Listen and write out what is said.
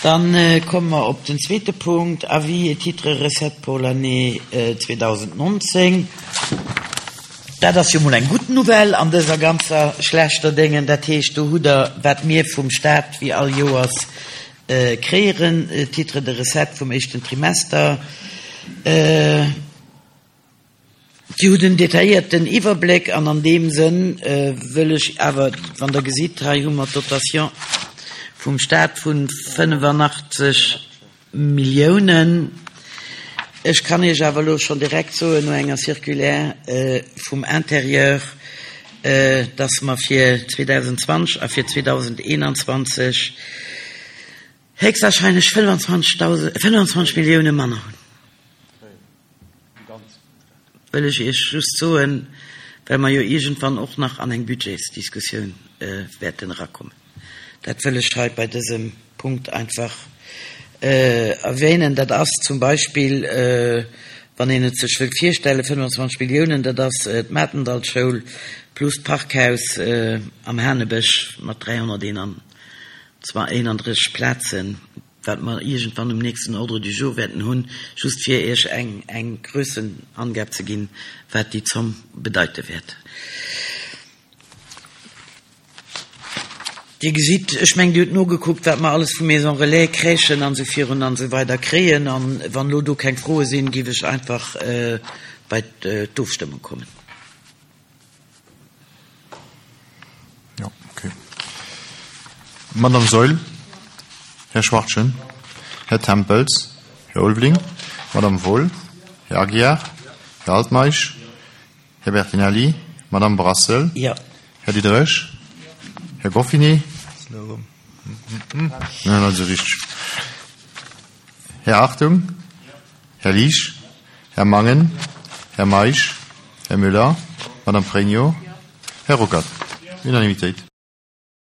Dann komme mer op den zweete Punkt, Avis et titres recettes pour l'année 2019. Dat ass jo mol eng gutt Nouvelle an dëser ganzer schlechter Déngen. Dat heescht, do hutt Der, wat mir vum Stat wéi all Joers kréieren, Titres de recettes vum éischten Trimester. Dir hutt en detailléierten Iwwerbléck an an deem Sënn wëll ech awer, wann Der gesitt, hei hu mer d'Dotation vum Stat vu 85 Milliounen. Ech kann Iech awer elo schonn direkt soen, no enger Circulaire vum Intérieur, dass mer fir 2020 a fir 2021 héchstwahrscheinlech 25 Millioune manner hunn. Wëll ech Iech just soen, well mer jo iergendwann och nach an eng Budgetsdiskussioun wäerten erakommen. Dat wëll ech hei bei dësem Punkt einfach erwähnen. Dat ass zum Beispill, wann een et sech wëllt virstellen, 25 Milliounen, dat ass d'Matendallschoul plus d'Parkhaus am Hanebësch mat 331 Plazen. wat mer iergendwann um nächsten Ordre du jour wäerten hunn, just fir Iech eng eng Grössenangab ze ginn, wat déi Zomm bedeite wäert. Dir gesitt, ech mengen, Dir hutt nogekuckt, wat mer alles vu Maisons relais, Crèchen an esou virun an esou weider kréien. A wann elo do keng Froe sinn, géif ech einfach bei d'Ofstëmmung kommen. Ja, okay. Madame Saeul, Här Schwachtgen, Här Tempels, Här Ulveling, Madame Wohl, Här Aguiar, Här Altmeisch, Här Bertinelli, Madame Brassel, ja. Här Diderich, Här Goffinet, Nein, also richtig. Här Hartung, Här Liesch, Här Mangen, Här Meisch, Här Müller, Madame Frénio, Här Ruckert. Unanimitéit.